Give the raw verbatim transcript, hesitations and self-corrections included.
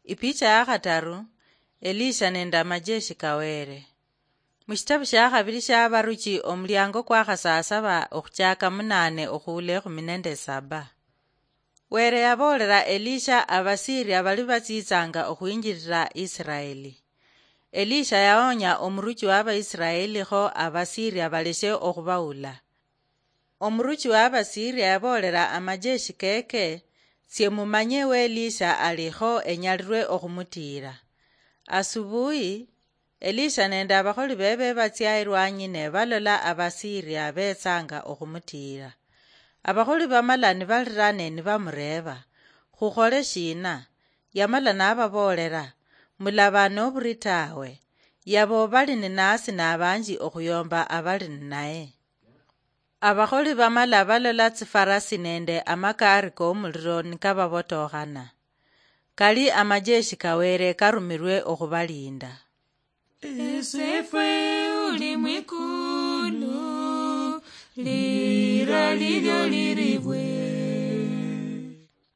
Ipicha ya khataru. Elisha nende amajeshi ka Were. Mushitabu shia khabili shia Abaruchi, omuliango kwa khasasaba okhuchaka munane okhuula ekhumi nende saba. Were yaboolera Elisha Abasiria bali batsitsanga okhwinjilila Isiraeli. Elisha yaonya omuruchi wa Abaisiraeli kho Abasiria baleshe okhubaula. Omuruchi wa Abasiria yaboolera amajeshi keke, "Tsie mumanye we Elisha ali kho enyalirwe okhumutiira." Asubuhi, Elisha nende abakholi bebe batsia elwanyi ne balola Abasiria betsanga okhumutiira. Abakholi bamala nibalira ne nibamureeba, "Khukhole shina?" Yamala nababoolera, "Mulaba noburi tawe. Yabo bali ninasi nabanji okhuyomba abali ninaye." Abakholi bamala balola tsifarasi nende amakaari komuliro nikababotokhana. Kali amajeshi ka Were karumilwe okhubalinda. Esefwe uli mwikulu, lira lilyo liribwe.